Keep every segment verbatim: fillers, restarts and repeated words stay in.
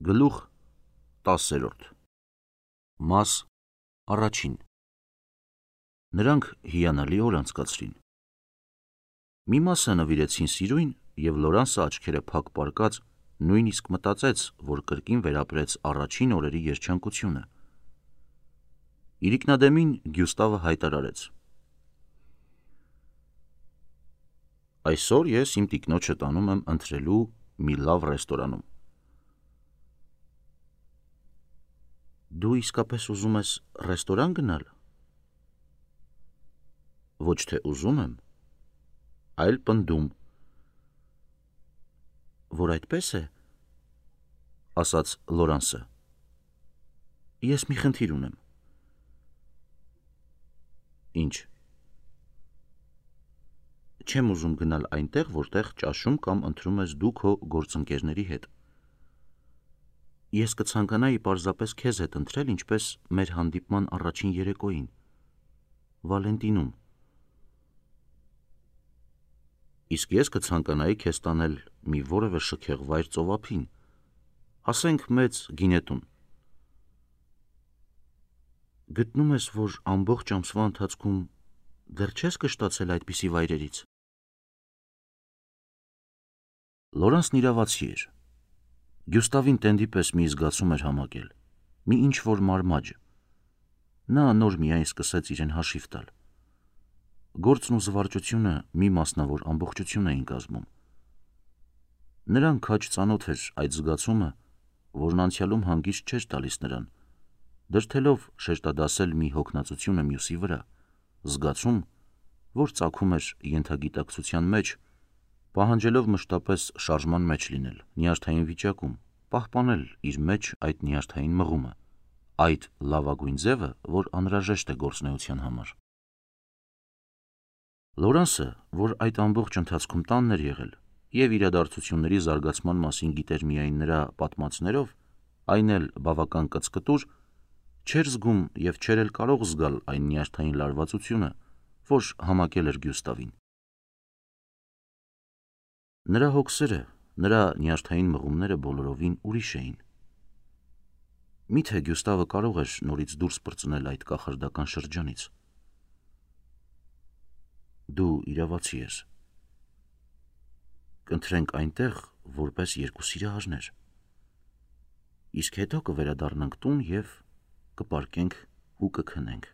Գլուխ տասերորդ Մաս առաջին Նրանք հիանալի օր անցկացրին։ Մի մասը նվիրեցին սիրույն, և Լորանսը աչքերը փակ պառկած նույնիսկ մտածեց, որ կրկին վերապրեց առաջին օրերի երջանկությունը։ Իրիկնադեմին Գյուստավը հայտարարեց. Այսօր ես իմ տիկնոջը տանում եմ ընթրելու մի լավ ռեստորանում։ Դու իսկապես ուզում ես ռեստորան գնալ։ Ոչ թե ուզում եմ, այլ պնդում։ Որ այդպես է, ասաց Լորանսը, ես մի խնդիր ունեմ։ Ինչ։ Չեմ ուզում գնալ այնտեղ, որտեղ ճաշում կամ ընթրում ես դու քո գործընկերների հետ։ Ես կցանկանայի պարզապես քեզ հետ ընթրել, ինչպես մեր հանդիպման առաջին երեկոյին, Վալենտինում։ Իսկ ես կցանկանայի քեզ տանել մի որևէ շքեղ վայր ծովափին, ասենք մեծ գինետուն։ Գտնում ես, որ ամբողջ ամսվա ընթացքում դեռ չես կշտացել այդպիսի վայրերից։ Լորանսն իրավացի էր։ Գյուստավին տենդի պես մի զգացում էր համակել, մի ինչ-որ մարմաջ։ Նա նոր միայն սկսեց իրեն հաշիվ տալ։ Գործն ու զվարճությունը մի մասնավոր ամբողջություն էին կազմում։ Նրան քաջ ծանոթ էր այդ զգացումը, որն անցյալում հանգիստ չէր տալիս նրան, դրդելով շեշտադասել մի հոգնածությունը մյուսի վրա, զգացում, որ ծագում էր ենթագիտակցության մեջ, պահանջելով մշտապես շարժման մեջ լինել, նյարդային վիճակում, պահպանել իր մեջ այդ նյարդային մղումը, այդ լավագույն ձևը, որ անհրաժեշտ է գործունեության համար։ Լորանսը, որ այդ ամբողջ ընթացքում տանն էր եղել և իրադարձությունների զարգացման մասին գիտեր միայն նրա պատմածներով, այն էլ բավական կծկտուր, չէր զգում և չէր էլ կարող զգալ այն նյարդային լարվածությունը, որ համակել էր Գյուստավին։ Նրա հոգսերը, նրա նյարդային մղումները բոլորովին ուրիշ էին։ Միթե Գյուստավը կարող էր նորից դուրս պրծնել այդ կախարդական շրջանից։ Դու իրավացի ես։ Կընթրենք այնտեղ, որպես երկու սիրահարներ։ Իսկ հետո կվերադառնանք տուն և կպարկենք ու կքնենք։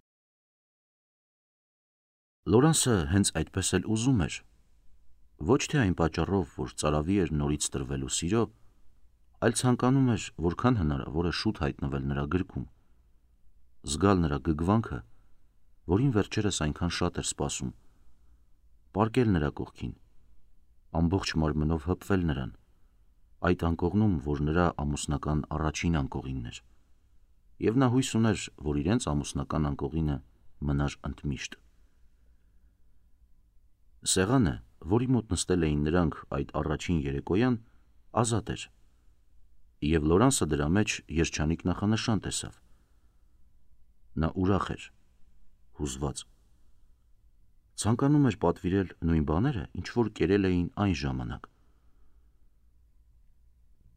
Լորանսը հենց այդպես էլ ուզում էր, ոչ թե այն պատճառով, որ ծարավի էր նորից տրվելու սիրո, այլ ցանկանում էր որքան հնարավոր է շուտ հայտնվել նրա գրկում, զգալ նրա գգվանքը, որին վերջերս այնքան շատ էր սպասում, պառկել նրա կողքին, ամբողջ մարմնով հպվել նրան, այդ անկողնում, որ նրա ամուսնական առաջին անկողինն էր, և նա հույս ուներ, որ իրենց ամուսնական անկողինը մնար ընդմիշտ։ Սեղանը, որի մոտ նստել էին նրանք այդ առաջին երեկոյան, ազատ էր, և Լորանսը դրա մեջ երջանիկ նախանշան տեսավ։ Նա ուրախ էր, հուզված։ Ցանկանում էր պատվիրել նույն բաները, ինչ որ կերել էին այն ժամանակ։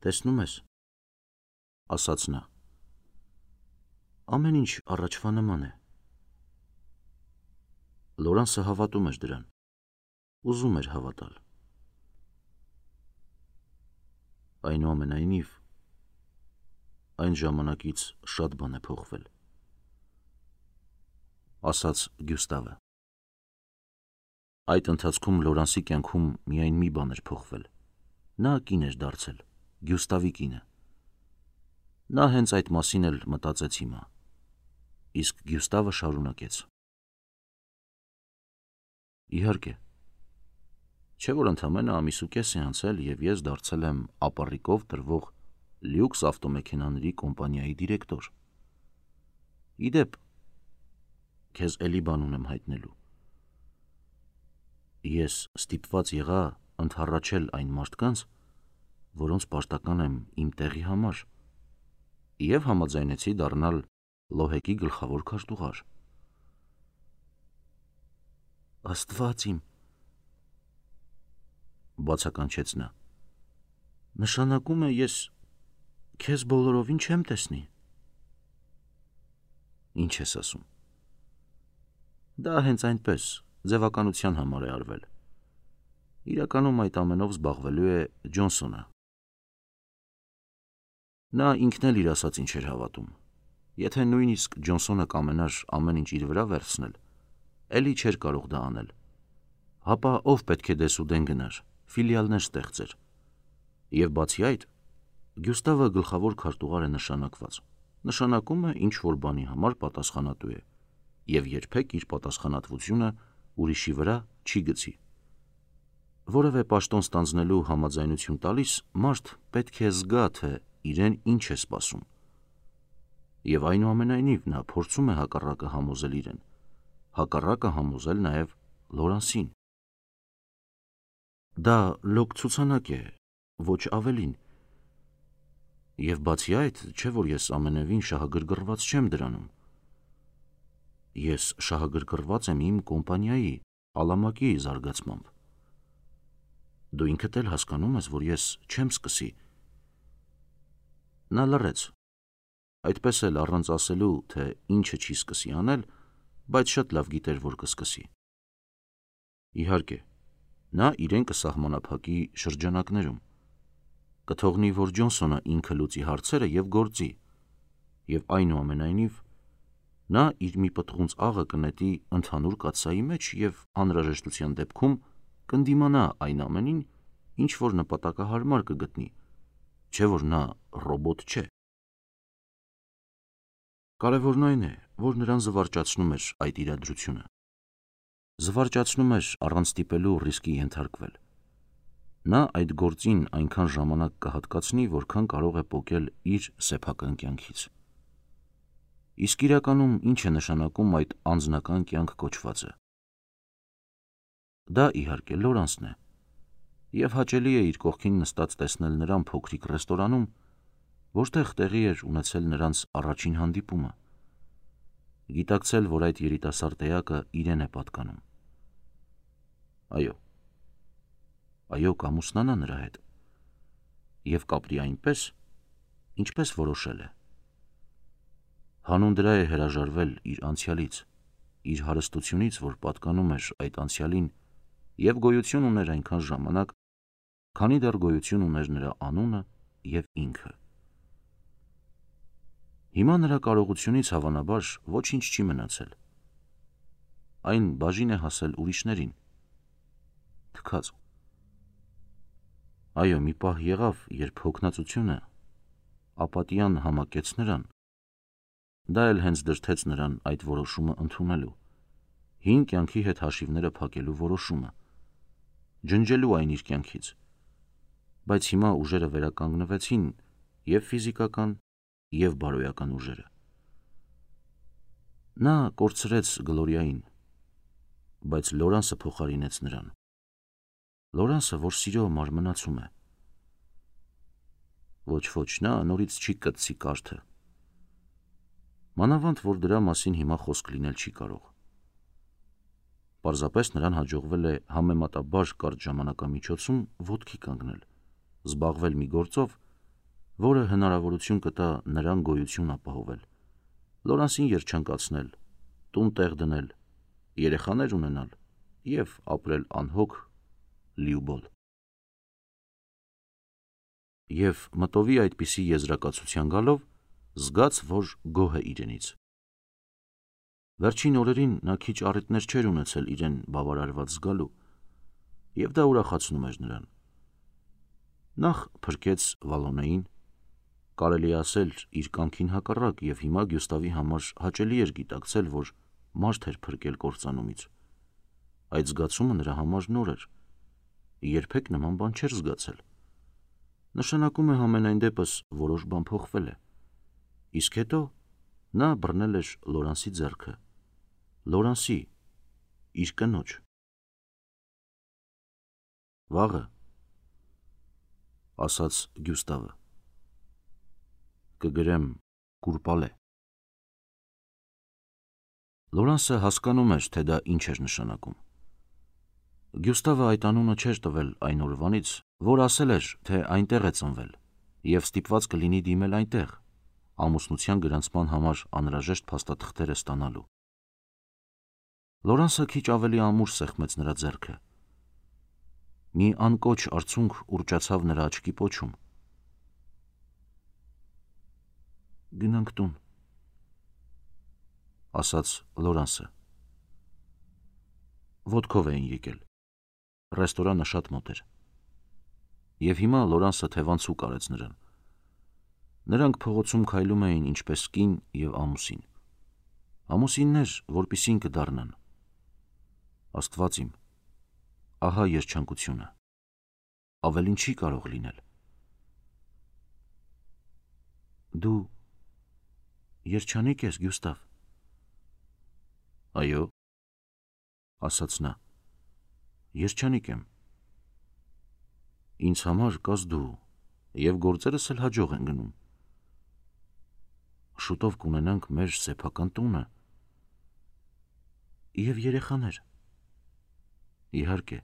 Տեսնում ես, ասաց նա, ամեն ինչ առաջվա նման է։ Լորանսը հավատում էր դրան, ուզում էր հավատալ։ Այնուամենայնիվ, այն ժամանակից շատ բան է փոխվել, ասաց Գյուստավը։ Այդ ընթացքում Լորանսի կյանքում միայն մի բան էր փոխվել։ Նա կին էր դարձել, Գյուստավի կինը։ Նա հենց այդ մասին էլ մտածեց հիմա, իսկ Գյուստավը շարունակեց. Իհարկե, չէ՞ որ ընդամենը ամիս ու կես է անցել, և ես դարձել եմ ապառիկով տրվող լյուքս ավտոմեքենաների կոմպանիայի դիրեկտոր։ Ի դեպ, քեզ էլի բան ունեմ հայտնելու։ Ես ստիպված եղա ընդառաջել այն մարդկանց, որոնց պարտական եմ իմ տեղի համար, և համաձայնեցի դառնալ Լոհեկի գլխավոր քարտուղար։ Աստված իմ, բացականչեց նա, նշանակում է ես Քեզ բոլորովին չեմ տեսնի։ Ինչ ես ասում։ Դա հենց այնպես, ձևականության համար է արվել։ Իրականում այդ ամենով զբաղվելու է Ջոնսոնը։ Նա ինքն էլ իր ասածին չէր հավատում։ Եթե նույնիսկ Ջոնսոնը կամենար ամեն ինչ իր վրա վերցնել, էլի չէր կարող դա անել։ Հապա ով պետք է դեսուդեն գնար, ֆիլիալներ ստեղծեր։ Եվ բացի այդ, Գյուստավը գլխավոր քարտուղար է նշանակված։ Նշանակում է ինչ-որ բանի համար պատասխանատու է և երբեք իր պատասխանատվությունը ուրիշի վրա չի գցի։ Որևէ պաշտոն ստանձնելու համաձայնություն տալիս մարդ պետք է զգա, թե իրեն ինչ է սպասում։ Եվ այնուամենայնիվ նա փորձում է հակառակը համոզել իրեն, հակառակը համոզել նաև Լորանսին։ Դա լոկ ցուցանակ է, ոչ ավելին։ Եվ բացի այդ, չէ որ ես ամենևին շահագրգռված չեմ դրանում։ Ես շահագրգռված եմ իմ կոմպանիայի, Ալամակի զարգացմամբ։ Դու ինքդ էլ հասկանում ես, որ ես չեմ սկսի։ Նա լռեց, այդպես էլ առանց ասելու, թե ինչը չի սկսի անել, բայց շատ լավ գիտեր, որ կսկսի։ Իհարկե, նա իրեն կսահմանափակի շրջանակներում, կթողնի, որ Ջոնսոնը ինքը լուծի հարցերը և գործի, և այնուամենայնիվ նա իր մի պտղունց աղը կնետի ընդհանուր կաթսայի մեջ և անհրաժեշտության դեպքում կընդդիմանա այն ամենին, ինչ որ նպատակահարմար կգտնի, չէ որ նա ռոբոտ չէ։ Կարևորն այն է, որ նրան զվարճացնում էր այդ իրադրությունը։ Զվարճացնում էր առանց ստիպելու ռիսկի ենթարկվել։ Նա այդ գործին այնքան ժամանակ կհատկացնի, որքան կարող է պոկել իր սեփական կյանքից։ Իսկ իրականում ինչ է նշանակում այդ անձնական կյանք կոչվածը։ Դա իհարկե Լորանսն է, և հաճելի է իր կողքին նստած տեսնել նրան փոքրիկ ռեստորանում, որտեղ տեղի էր ունեցել նրանց առաջին հանդիպումը, գիտակցել, որ այդ երիտասարդ էակը իրեն է պատկանում։ Այո, այո, կամուսնանա նրա հետ և կապրի այնպես, ինչպես որոշել է։ Հանուն դրա է հրաժարվել իր անցյալից, իր հարստությունից, որ պատկանում էր այդ անցյալին և գոյություն ուներ այնքան ժամանակ, քանի դեռ գոյություն ուներ նրա անունը և ինքը։ Հիմա նրա կարողությունից հավանաբար ոչինչ չի մնացել։ Այն բաժին է հասել ուրիշներին։ Թքած։ Այո, մի պահ եղավ, երբ հոգնածությունը ապատիան համակեց նրան, դա էլ հենց դրդեց նրան այդ որոշումը ընդունելու, հին կյանքի հետ հաշիվները փակելու որոշումը, ջնջելու այն իր կյանքից, բայց հիմա ուժերը վերականգնվեցին և ֆիզիկական, և բարոյական ուժերը։ Նա կորցրեց Գլորիային, բայց Լորանսը փոխարինեց նրան։ Լորանսը, որ սիրո մարմնացում է։ Ոչ, ոչ, նա նորից չի կտցի կարթը։ Մանավանդ, որ դրա մասին հիմա խոսք լինել չի կարող։ Պարզապես նրան հաջողվել է համեմատաբար կարճ ժամանակամիջոցում ոտքի կանգնել, զբաղվել մի գործով, որը հնարավորություն կտա նրան գոյություն ապահովել, Լորանսին երջանկացնել, տուն տեղ դնել, երեխաներ ունենալ և ապրել անհոգ, լիուբոլ։ Եվ մտովի այդպիսի եզրակացության գալով, զգաց, որ գոհ է իրենից։ Վերջին օրերին նա քիչ առիթներ չէր ունեցել իրեն բավարարված զգալու, և դա ուրախացնում էր նրան։ Նախ փրկեց Վալոնեին, կարելի է ասել իր կամքին հակառակ, և հիմա Գյուստավի համար հաճելի էր գիտակցել, որ մարդ էր փրկել կործանումից։ Այդ զգացումը նրա համար նոր էր, երբեք նման բան չէր զգացել։ Նշանակում է համենայն դեպս որոշ բան փոխվել է։ Իսկ հետո նա բռնել էր Լորանսի ձեռքը, Լորանսի, իր կնոջ։ Վաղը, ասաց Գյուստավը, կգրեմ կուրպալե։ Լորանսը հասկանում էր, թե դա ինչ էր նշանակում։ Գյուստավը այդ անունը չէր տվել այն օրվանից, որ ասել էր, թե այնտեղ է ծնվել, և ստիպված կլինի դիմել այնտեղ, ամուսնության գրանցման համար անհրաժեշտ փաստաթղթերը ստանալու։ Լորանսը քիչ ավելի ամուր սեղմեց նրա ձեռքը։ Մի անկոչ արցունք ուռճացավ նրա աչքի պոչում։ «Գնանք տուն», ասաց Լորանսը։ Ոտքով էին եկել։ Ռեստորանը շատ մոտ էր։ Եվ հիմա Լորանսը թևանցուկ արեց նրան։ Նրանք փողոցում քայլում էին ինչպես կին և ամուսին։ Ամուսիններ, որպիսին կդառնան։ Աստված իմ, ահա երջանկությունը։ Ավելին չի կարող լինել։ Դու երջանիկ ես, Գյուստավ։ Այո, ասաց նա, երջանիկ եմ։ Ինձ համար կաս դու, և գործերս էլ հաջող են գնում։ Շուտով կունենանք մեր սեփական տունը և երեխաներ։ Իհարկե։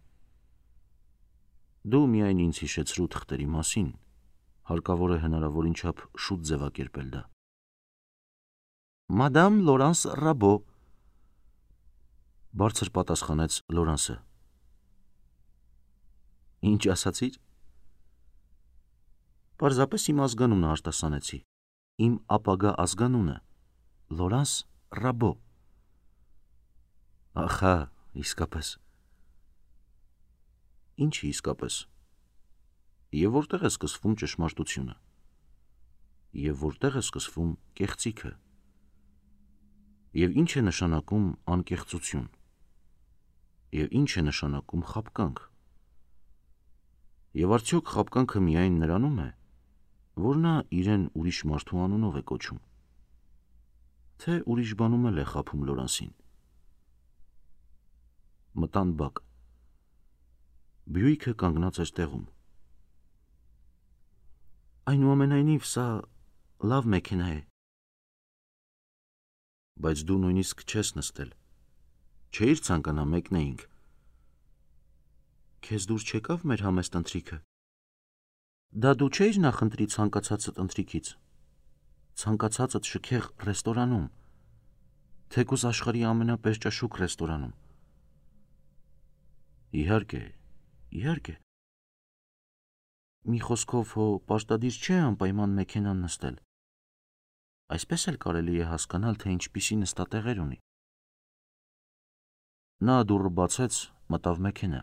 Դու միայն ինձ հիշեցրու թղթերի մասին, հարկավոր է հնարավորին չափ շուտ ձևակերպել դա։ Մադամ Լորանս Ռաբո, բարձր պատասխանեց Լորանսը։ Ինչ ասացիր։ Պարզապես իմ ազգանունը արտասանեցի, իմ ապագա ազգանունը, Լորանս Ռաբո։ Ախա, իսկապես։ Ինչի իսկապես։ Եվ որտեղ է սկսվում ճշմարտությունը։ Եվ որտեղ է սկսվում կեղծիքը։ Եվ ինչ է նշանակում անկեղծություն։ Եվ ինչ է նշանակում խաբկանք։ Եվ արդյոք խաբկանքը միայն նրանում է, որ նա իրեն ուրիշ մարդու անունով է կոչում, թե ուրիշ բանում էլ է խաբում Լորանսին։ Մտան բակ։ Բյուիկը կանգնած էր տեղում։ Այնուամենայնիվ, սա լավ մեքենա է։ Բայց դու նույնիսկ չես նստել։ Չէիր ցանկանա մեկնեինք։ Քեզ դուր չեկավ մեր համեստ ընթրիքը։ Դա դու չէիր նախընտրի ցանկացածդ ընթրիքից։ Ցանկացածդ շքեղ ռեստորանում, թեկուզ աշխարհի ամենապերճաշուք ռեստորանում։ Իհարկե, իհարկե։ Մի խոսքով, հո պարտադիր չէ անպայման մեքենան նստել։ Այսպես էլ կարելի է հասկանալ, թե ինչպիսի նստատեղեր ունի։ Նա դուռը բացեց, մտավ մեքենա։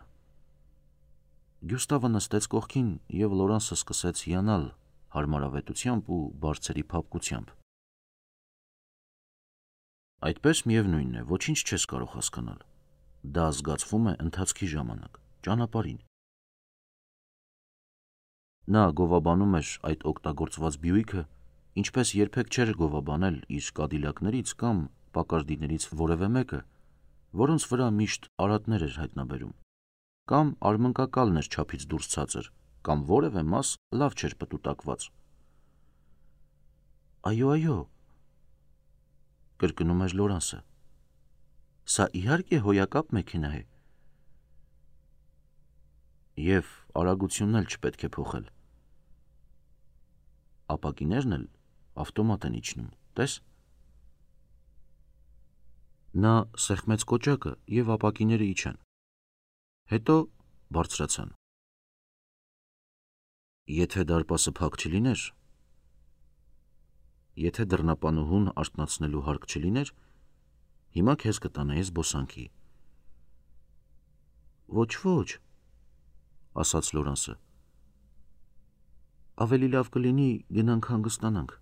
Գյուստավը նստեց կողքին, և Լորանսը սկսեց հիանալ հարմարավետությամբ ու բարձրի փափկությամբ։ Այդպես միևնույն է, ոչինչ չես կարող հասկանալ։ Դա զգացվում է ընթացքի ժամանակ, ճանապարհին։ Նա գովաբանում էր այդ օգտագործված Բյուիկը, ինչպես երբեք չէր գովաբանել իր Կադիլակներից կամ Պակարդիներից որևէ մեկը, որոնց վրա միշտ արատներ էր հայտնաբերում, կամ արմնկակալն էր չափից դուրս ցածր, կամ որևէ մաս լավ չէր պտուտակված։ Այո, այո, կրկնում էր Լորանսը, սա իհարկե հոյակապ մեքենա է։ Եվ արագությունն էլ չպետք է փոխել։ Ապակիներն էլ ավտոմատ են իջնում, տես։ Նա սեղմեց կոճակը, և ապակիները իջան։ Հետո բարձրացան։ Եթե դարպասը փակ չլիներ, եթե դռնապանուհուն արթնացնելու հարկ չլիներ, հիմա քեզ կտանեի զբոսանքի։ Ոչ, ոչ, ասաց Լորանսը։ Ավելի լավ կլինի գնանք հանգստանանք։